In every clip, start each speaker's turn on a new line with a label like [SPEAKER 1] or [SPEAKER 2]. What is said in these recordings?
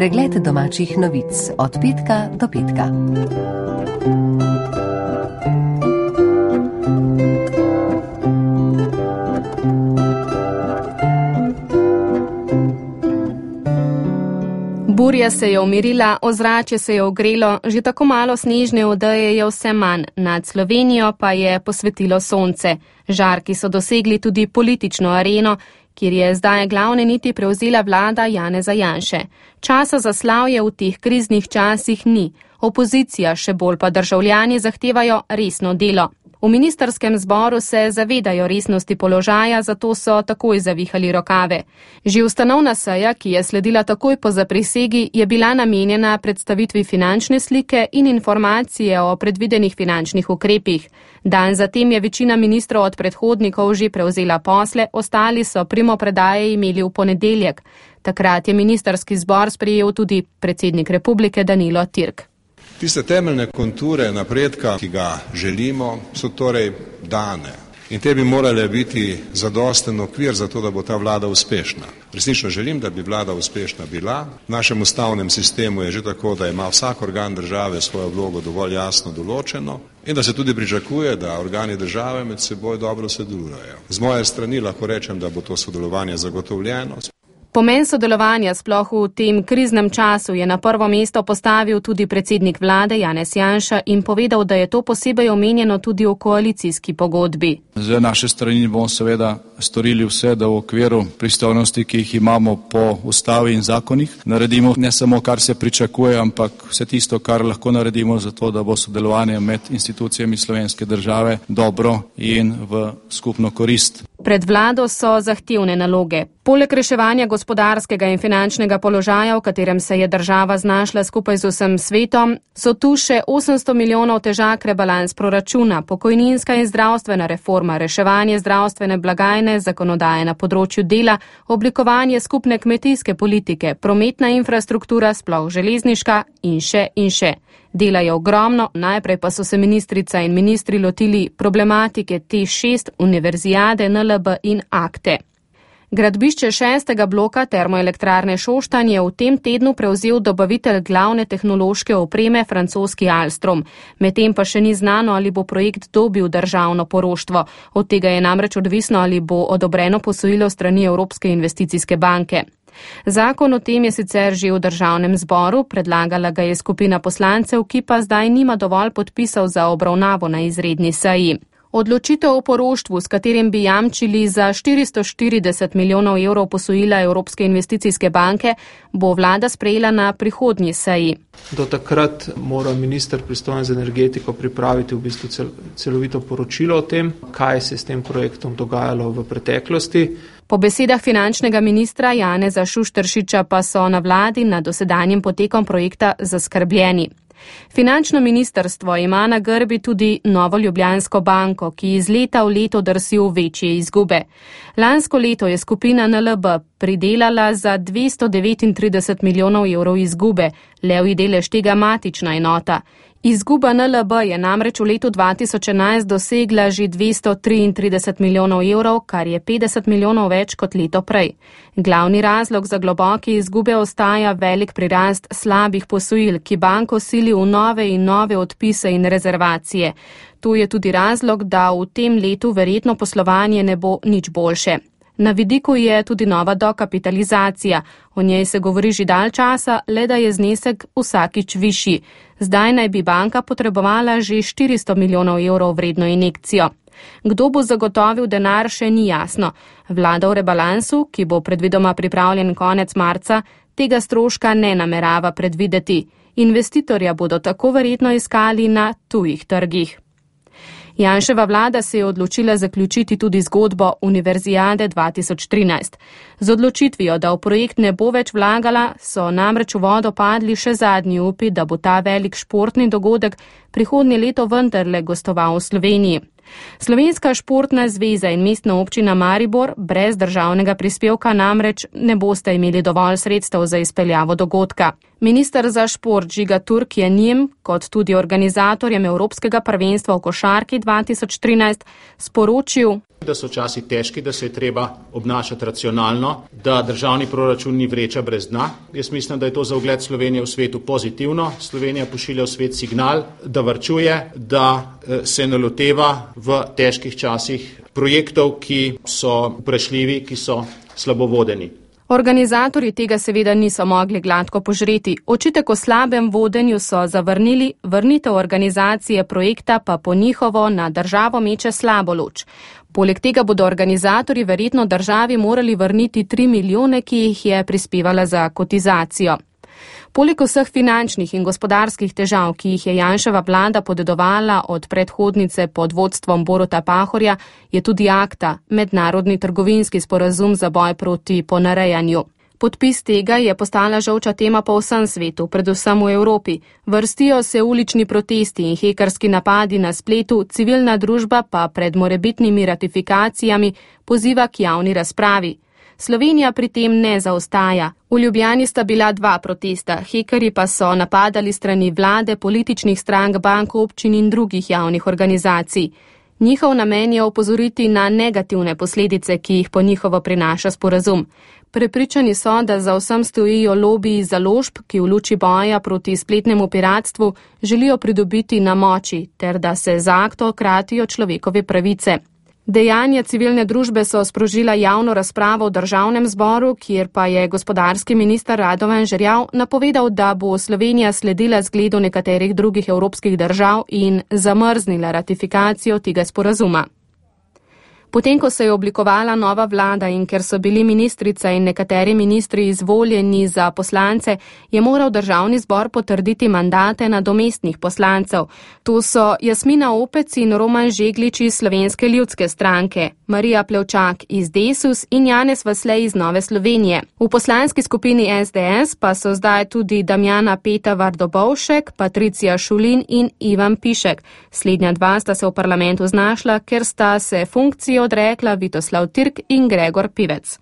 [SPEAKER 1] Pregled domačih novic od petka do petka.
[SPEAKER 2] Burja se je umirila, ozračje se je ogrelo, že tako malo snežne odeje je vse manj, nad Slovenijo pa je posvetilo sonce. Žarki so dosegli tudi politično areno, kjer je zdaj glavne niti prevzela vlada Janeza Janše. Časa za slavje v teh kriznih časih ni. Opozicija, še bolj pa državljani zahtevajo resno delo. V ministrskem zboru se zavedajo resnosti položaja, zato so takoj zavihali rokave. Že ustanovna seja, ki je sledila takoj po zaprisegi, je bila namenjena predstavitvi finančne slike in informacije o predvidenih finančnih ukrepih. Dan zatem je večina ministrov od predhodnikov že prevzela posle, ostali so primopredaje imeli v ponedeljek. Takrat je ministrski zbor sprejel tudi predsednik republike Danilo Türk.
[SPEAKER 3] Tiste temeljne konture napredka, ki ga želimo, so torej dane. In te bi morale biti zadosten okvir za to, da bo ta vlada uspešna. Resnično želim, da bi vlada uspešna bila. V našem ustavnem sistemu je že tako, da ima vsak organ države svojo vlogo dovolj jasno določeno in da se tudi pričakuje, da organi države med seboj dobro sodelujejo. Z moje strani lahko rečem, da bo to sodelovanje zagotovljeno.
[SPEAKER 2] Pomen sodelovanja sploh v tem kriznem času je na prvo mesto postavil tudi predsednik vlade Janez Janša in povedal, da je to posebej omenjeno tudi v koalicijski pogodbi.
[SPEAKER 4] Z naše strani bomo seveda storili vse, da v okviru pristojnosti, ki jih imamo po ustavi in zakonih, naredimo ne samo, kar se pričakuje, ampak vse tisto, kar lahko naredimo za to, da bo sodelovanje med institucijami slovenske države dobro in v skupno korist.
[SPEAKER 2] Pred vlado so zahtevne naloge. Poleg reševanja gospodarskega in finančnega položaja, v katerem se je država znašla skupaj z vsem svetom, so tu še 800 milijonov težak rebalans proračuna, pokojninska in zdravstvena reforma, reševanje zdravstvene blagajne, zakonodaje na področju dela, oblikovanje skupne kmetijske politike, prometna infrastruktura, sploh železniška in še in še. Dela je ogromno, najprej pa so se ministrica in ministri lotili problematike T6, univerzijade, NLB in akte. Gradbišče 6. bloka termoelektrarne Šoštanj je v tem tednu prevzel dobavitelj glavne tehnološke opreme francoski Alstom. Medtem pa še ni znano, ali bo projekt dobil državno poroštvo. Od tega je namreč odvisno, ali bo odobreno posojilo strani Evropske investicijske banke. Zakon o tem je sicer že v državnem zboru, predlagala ga je skupina poslancev, ki pa zdaj nima dovolj podpisov za obravnavo na izredni seji. Odločitev o poroštvu, s katerim bi jamčili za 440 milijonov evrov posojila Evropske investicijske banke, bo vlada sprejela na prihodnji seji.
[SPEAKER 5] Do takrat mora minister pristojen za energetiko pripraviti v bistvu celovito poročilo o tem, kaj se s tem projektom dogajalo v preteklosti.
[SPEAKER 2] Po besedah finančnega ministra Janeza Šušteršiča pa so na vladi nad dosedanjim potekom projekta zaskrbljeni. Finančno ministrstvo ima na grbi tudi Novo Ljubljansko banko, ki iz leta v leto drsi v večje izgube. Lansko leto je skupina NLB pridelala za 239 milijonov evrov izgube, levji delež tega matična enota. Izguba NLB je namreč v letu 2011 dosegla že 233 milijonov evrov, kar je 50 milijonov več kot leto prej. Glavni razlog za globoke izgube ostaja velik prirast slabih posojil, ki banko sili v nove in nove odpise in rezervacije. To je tudi razlog, da v tem letu verjetno poslovanje ne bo nič boljše. Na vidiku je tudi nova dokapitalizacija. O njej se govori že dalj časa, le da je znesek vsakič višji. Zdaj naj bi banka potrebovala že 400 milijonov evrov vredno injekcijo. Kdo bo zagotovil denar, še ni jasno. Vlada v rebalansu, ki bo predvidoma pripravljen konec marca, tega stroška ne namerava predvideti. Investitorja bodo tako verjetno iskali na tujih trgih. Janševa vlada se je odločila zaključiti tudi zgodbo Univerzijade 2013. Z odločitvijo, da v projekt ne bo več vlagala, so namreč v vodo padli še zadnji upi, da bo ta velik športni dogodek prihodnje leto vendarle gostoval v Sloveniji. Slovenska športna zveza in mestna občina Maribor brez državnega prispevka namreč ne boste imeli dovolj sredstev za izpeljavo dogodka. Minister za šport Žiga Turk je njim, kot tudi organizatorjem Evropskega prvenstva v košarki 2013, sporočil,
[SPEAKER 6] da so časi težki, da se je treba obnašati racionalno, da državni proračun ni vreča brez dna. Jaz mislim, da je to za ugled Slovenije v svetu pozitivno. Slovenija pošilja v svet signal, da varčuje, da se ne loteva v težkih časih projektov, ki so vprašljivi, ki so slabo vodeni.
[SPEAKER 2] Organizatorji tega seveda niso mogli gladko požreti. Očitek o slabem vodenju so zavrnili, vrnitev organizacije projekta pa po njihovo na državo meče slabo luč. Poleg tega bodo organizatorji verjetno državi morali vrniti 3 milijone, ki jih je prispevala za kotizacijo. Poleg vseh finančnih in gospodarskih težav, ki jih je Janševa vlada podedovala od predhodnice pod vodstvom Boruta Pahorja, je tudi ACTA, mednarodni trgovinski sporazum za boj proti ponarejanju. Podpis tega je postala žolča tema po vsem svetu, predvsem v Evropi. Vrstijo se ulični protesti in hekerski napadi na spletu, civilna družba pa pred morebitnimi ratifikacijami poziva k javni razpravi. Slovenija pri tem ne zaostaja. V Ljubljani sta bila 2 protesta, hekerji pa so napadali strani vlade, političnih strank, bank, občin in drugih javnih organizacij. Njihov namen je opozoriti na negativne posledice, ki jih po njihovo prinaša sporazum. Prepričani so, da za vsem stojijo lobiji založb, ki v luči boja proti spletnemu piratstvu želijo pridobiti na moči, ter da se z akto kratijo človekove pravice. Dejanja civilne družbe so sprožila javno razpravo v državnem zboru, kjer pa je gospodarski minister Radovan Žerjav napovedal, da bo Slovenija sledila zgledu nekaterih drugih evropskih držav in zamrznila ratifikacijo tega sporazuma. Potem, ko se je oblikovala nova vlada in ker so bili ministrica in nekateri ministri izvoljeni za poslance, je moral državni zbor potrditi mandate nadomestnih poslancev. To so Jasmina Opec in Roman Žeglič iz Slovenske ljudske stranke, Marija Plevčak iz Desus in Janez Vaslej iz Nove Slovenije. V poslanski skupini SDS pa so zdaj tudi Damjana Peta Vardobovšek, Patricija Šulin in Ivan Pišek. Slednja 2 sta se v parlamentu znašla, ker sta se funkcijo odrekla Vitoslav Tirk in Gregor Pivec.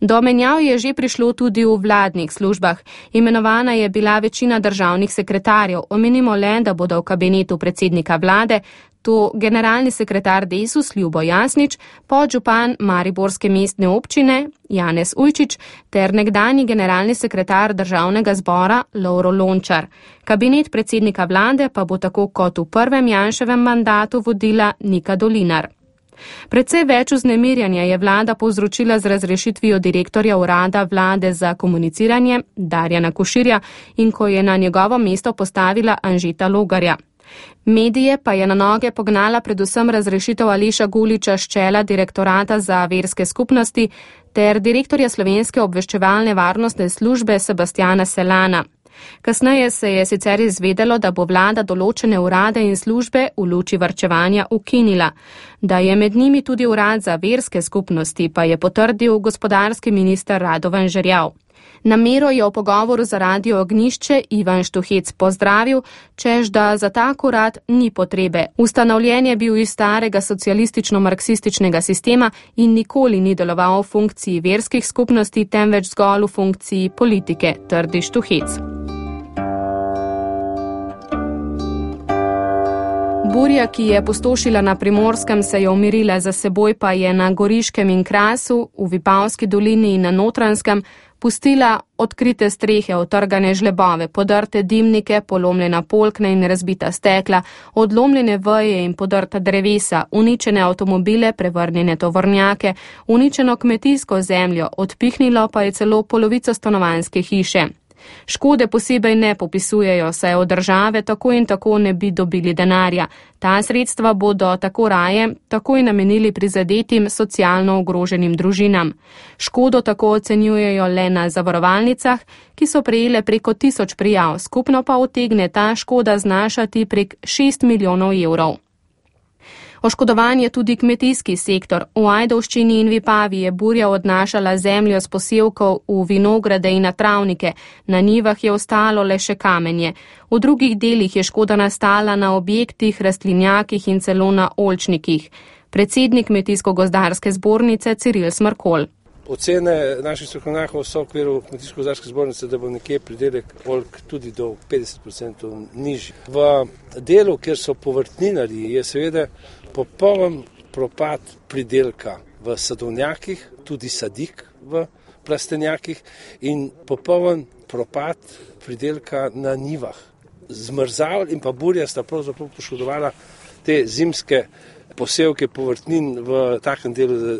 [SPEAKER 2] Do menjav je že prišlo tudi v vladnih službah. Imenovana je bila večina državnih sekretarjev. Omenimo le, da bodo v kabinetu predsednika vlade to generalni sekretar Desus Ljubo Jasnič, podžupan Mariborske mestne občine Janez Ujčič ter nekdanji generalni sekretar državnega zbora Lovro Lončar. Kabinet predsednika vlade pa bo tako kot v prvem Janševem mandatu vodila Nika Dolinar. Predvsej več vznemirjanja je vlada povzročila z razrešitvijo direktorja urada vlade za komuniciranje Darjana Koširja in ko je na njegovo mesto postavila Anžeta Logarja. Medije pa je na noge pognala predvsem razrešitev Aleša Guliča s čela direktorata za verske skupnosti ter direktorja Slovenske obveščevalne varnostne službe Sebastiana Selana. Kasneje se je sicer izvedelo, da bo vlada določene urade in službe v luči varčevanja ukinila. Da je med njimi tudi urad za verske skupnosti, pa je potrdil gospodarski minister Radovan Žerjav. Namero je v pogovoru za Radio Ognjišče Ivan Štuhec pozdravil, čež da za tak urad ni potrebe. Ustanovljen je bil iz starega socialistično-marksističnega sistema in nikoli ni deloval v funkciji verskih skupnosti, temveč zgolj v funkciji politike, trdi Štuhec. Burja, ki je pustošila na Primorskem, se je umirila, za seboj pa je na Goriškem in Krasu, v Vipavski dolini in na Notranjskem pustila odkrite strehe, otrgane žlebove, podrte dimnike, polomljena polkna in razbita stekla, odlomljene veje in podrta drevesa, uničene avtomobile, prevrnjene tovornjake, uničeno kmetijsko zemljo, odpihnilo pa je celo polovico stanovanjske hiše. Škode posebej ne popisujejo, saj od države tako in tako ne bi dobili denarja. Ta sredstva bodo tako raje takoj namenili prizadetim socialno ogroženim družinam. Škodo tako ocenjujejo le na zavarovalnicah, ki so prejele preko 1000 prijav, skupno pa utegne ta škoda znašati prek 6 milijonov evrov. Oškodovan je tudi kmetijski sektor. V Ajdovščini in Vipavi je burja odnašala zemljo s posevkov v vinograde in na travnike. Na njivah je ostalo le še kamenje. V drugih delih je škoda nastala na objektih, rastlinjakih in celo na oljčnikih. Predsednik Kmetijsko-gozdarske zbornice Ciril Smrkolj.
[SPEAKER 7] Ocene naših strokovnjakov so v okviru Kmetijsko-gozdarske zbornice, da bo nekje pridelek oljk tudi do 50% nižji. V delu, kjer so povrtninarji, je seveda popoln propad pridelka v sadovnjakih, tudi sadik v plastenjakih in popoln propad pridelka na njivah. Zmrzal in pa burja sta pravzaprav poškodovala te zimske posevke povrtnin v takem delu, da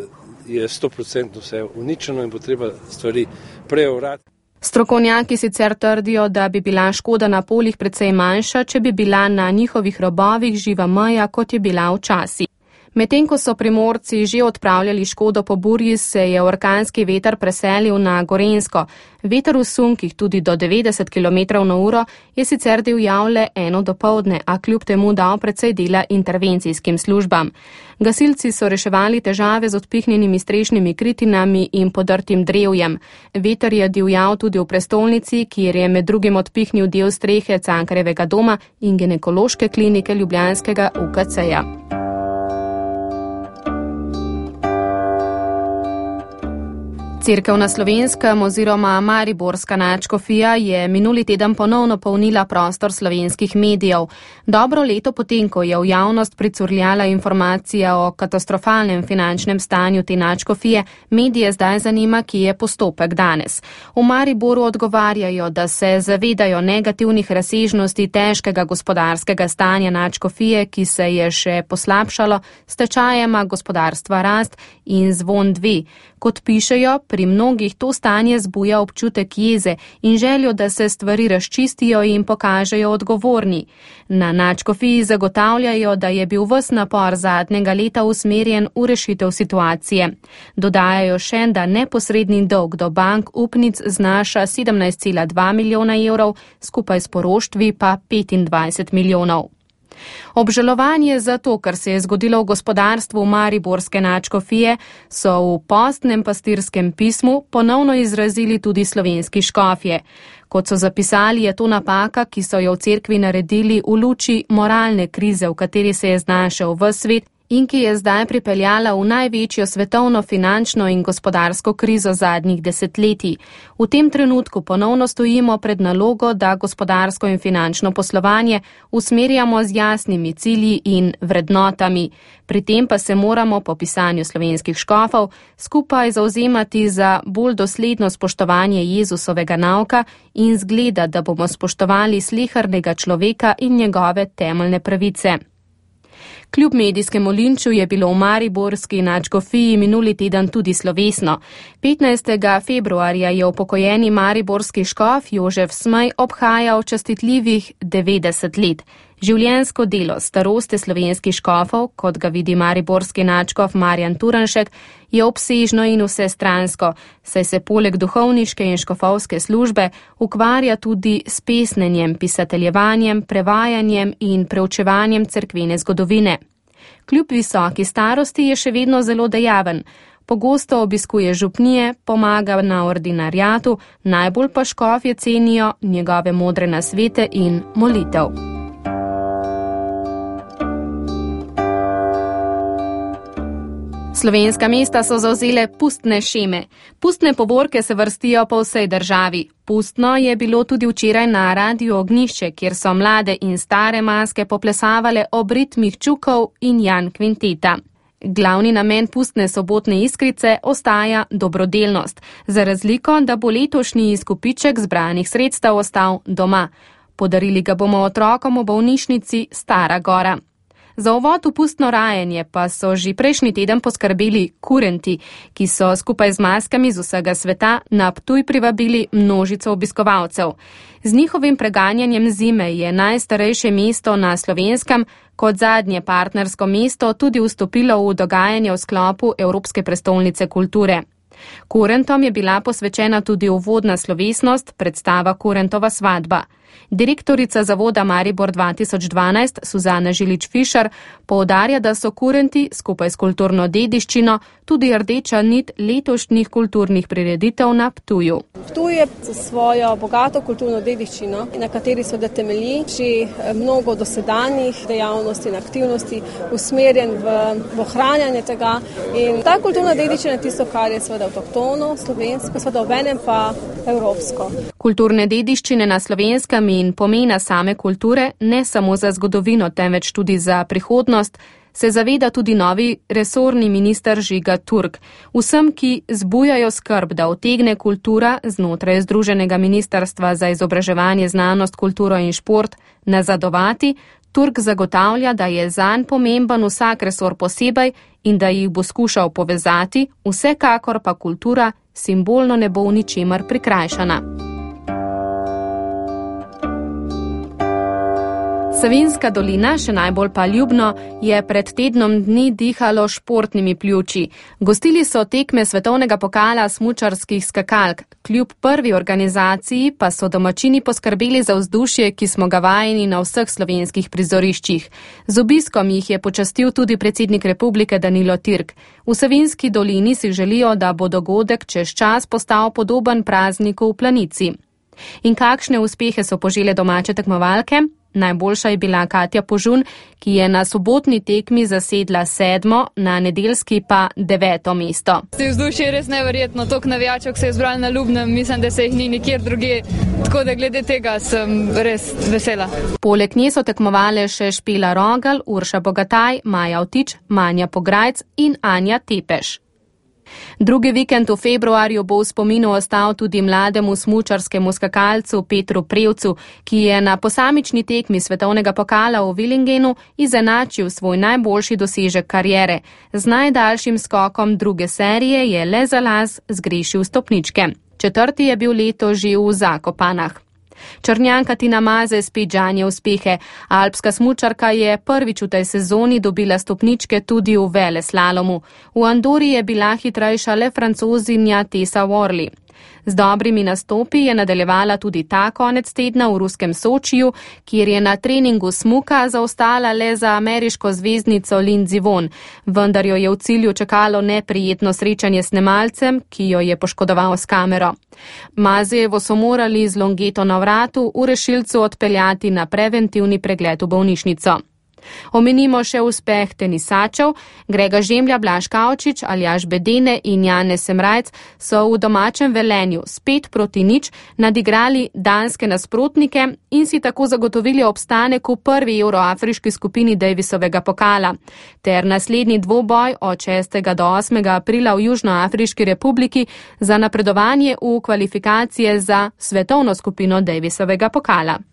[SPEAKER 7] je 100% vse uničeno in bo treba stvari preorati.
[SPEAKER 2] Strokovnjaki sicer trdijo, da bi bila škoda na poljih precej manjša, če bi bila na njihovih robovih živa meja, kot je bila včasih. Medtem ko so Primorci že odpravljali škodo po burji, se je orkanski veter preselil na Gorenjsko. Veter v sunkih tudi do 90 km/h je sicer divjal le 1 dopoldne, a kljub temu dal precej dela intervencijskim službam. Gasilci so reševali težave z odpihnjenimi strešnimi kritinami in podrtim drevjem. Veter je divjal tudi v prestolnici, kjer je med drugim odpihnil del strehe Cankarjevega doma in ginekološke klinike ljubljanskega UKC-ja. Cerkev na Slovenskem oziroma mariborska nadškofija je minuli teden ponovno polnila prostor slovenskih medijev. Dobro leto potem, ko je v javnost pricurljala informacija o katastrofalnem finančnem stanju te nadškofije, medije zdaj zanima, kje je postopek danes. V Mariboru odgovarjajo, da se zavedajo negativnih razsežnosti težkega gospodarskega stanja nadškofije, ki se je še poslabšalo s tečajema gospodarstva Rast in Zvon 2. Kot pišejo, pri mnogih to stanje zbuja občutek jeze in željo, da se stvari razčistijo in pokažejo odgovorni. Na nadškofiji zagotavljajo, da je bil ves napor zadnjega leta usmerjen v rešitev situacije. Dodajajo še, da neposredni dolg do bank upnic znaša 17,2 milijona evrov, skupaj s poroštvi pa 25 milijonov. Obžalovanje za to, kar se je zgodilo v gospodarstvu mariborske nadškofije, so v postnem pastirskem pismu ponovno izrazili tudi slovenski škofje. Kot so zapisali, je to napaka, ki so jo v cerkvi naredili v luči moralne krize, v kateri se je znašel ves svet in ki je zdaj pripeljala v največjo svetovno finančno in gospodarsko krizo zadnjih desetletij. V tem trenutku ponovno stojimo pred nalogo, da gospodarsko in finančno poslovanje usmerjamo z jasnimi cilji in vrednotami. Pri tem pa se moramo po pisanju slovenskih škofov skupaj zauzemati za bolj dosledno spoštovanje Jezusovega nauka in zgleda, da bomo spoštovali slehernega človeka in njegove temeljne pravice. Kljub medijskemu linču je bilo v mariborski nadškofiji minuli teden tudi slovesno. 15. februarja je upokojeni mariborski škof Jožef Smej obhajal častitljivih 90 let. Življenjsko delo staroste slovenskih škofov, kot ga vidi mariborski nadškof Marjan Turnšek, je obsežno in vsestransko, saj se poleg duhovniške in škofovske službe ukvarja tudi s pesnenjem, pisateljevanjem, prevajanjem in preučevanjem cerkvene zgodovine. Kljub visoki starosti je še vedno zelo dejaven. Pogosto obiskuje župnije, pomaga na ordinariatu, najbolj pa škofje cenijo njegove modre nasvete in molitev. Slovenska mesta so zavzele pustne šeme. Pustne povorke se vrstijo po vsej državi. Pustno je bilo tudi včeraj na Radiu Ognjišče, kjer so mlade in stare maske poplesavale ob ritmih Čukov in Jan Kvinteta. Glavni namen pustne sobotne iskrice ostaja dobrodelnost, za razliko, da bo letošnji izkupiček zbranih sredstev ostal doma. Podarili ga bomo otrokom v bolnišnici Stara Gora. Za uvod v pustno rajanje pa so že prejšnji teden poskrbeli kurenti, ki so skupaj z maskami z vsega sveta na Ptuj privabili množico obiskovalcev. Z njihovim preganjanjem zime je najstarejše mesto na Slovenskem kot zadnje partnersko mesto tudi vstopilo v dogajanje v sklopu Evropske prestolnice kulture. Kurentom je bila posvečena tudi uvodna slovesnost, predstava Kurentova svadba. Direktorica zavoda Maribor 2012 Suzana Žilič-Fišer poudarja, da so kurenti skupaj s kulturno dediščino tudi rdeča nit letošnjih kulturnih prireditev na Ptuju.
[SPEAKER 8] Ptuj je za svojo bogato kulturno dediščino, na kateri seveda temelji že mnogo dosedanjih dejavnosti in aktivnosti usmerjen v ohranjanje tega. In ta kulturna dediščina je tisto, kar je seveda avtohtono, slovensko, seveda obenem pa evropsko.
[SPEAKER 2] Kulturne dediščine na Slovenskem in pomena same kulture ne samo za zgodovino, temveč tudi za prihodnost, se zaveda tudi novi resorni minister Žiga Turk. Vsem, ki zbujajo skrb, da utegne kultura znotraj Združenega ministrstva za izobraževanje, znanost, kulturo in šport nazadovati, Turk zagotavlja, da je zanj pomemben vsak resor posebej in da jih bo skušal povezati, vsekakor pa kultura simbolno ne bo v ničemer prikrajšana. Savinjska dolina, še najbolj pa Ljubno, je pred tednom dni dihalo športnimi pljuči. Gostili so tekme svetovnega pokala smučarskih skakalk. Kljub prvi organizaciji pa so domačini poskrbeli za vzdušje, ki smo ga vajeni na vseh slovenskih prizoriščih. Z obiskom jih je počastil tudi predsednik republike Danilo Türk. V Savinjski dolini si želijo, da bo dogodek čez čas postal podoben prazniku v Planici. In kakšne uspehe so požele domače tekmovalke? Najboljša je bila Katja Požun, ki je na sobotni tekmi zasedla 7., na nedeljski pa 9. mesto.
[SPEAKER 9] Vzdušje je res neverjetno, toliko navijačev se je zbralo na Ljubnem, mislim, da se jih ni nikjer drugje, tako da glede tega sem res vesela.
[SPEAKER 2] Poleg nje so tekmovale še Špela Rogal, Urša Bogataj, Maja Vtič, Manja Pograjc in Anja Tepeš. Drugi vikend v februarju bo v spominu ostal tudi mlademu smučarskemu skakalcu Petru Prevcu, ki je na posamični tekmi svetovnega pokala v Willingenu izenačil svoj najboljši dosežek kariere. Z najdaljšim skokom druge serije je le za las zgrešil stopničke. 4. je bil letos že v Zakopanah. Črnjanka Tina Maze spet žanje uspehe. Alpska smučarka je prvič v tej sezoni dobila stopničke tudi v veleslalomu. V Andori je bila hitrejša le Francozinja Tessa Worley. Z dobrimi nastopi je nadaljevala tudi ta konec tedna v ruskem Sočiju, kjer je na treningu smuka zaostala le za ameriško zvezdnico Lindsey Vonn, vendar jo je v cilju čakalo neprijetno srečanje s snemalcem, ki jo je poškodoval s kamero. Mazejevo so morali z longeto na vratu v rešilcu odpeljati na preventivni pregled v bolnišnico. Omenimo še uspeh tenisačev. Grega Žemlja, Blaž Kavčič, Aljaž Bedene in Janez Semrajc so v domačem Velenju s 5-0 nadigrali danske nasprotnike in si tako zagotovili obstanek v prvi evroafriški skupini Davisovega pokala. Ter naslednji dvoboj od 6. do 8. aprila v Južnoafriški republiki za napredovanje v kvalifikacije za svetovno skupino Davisovega pokala.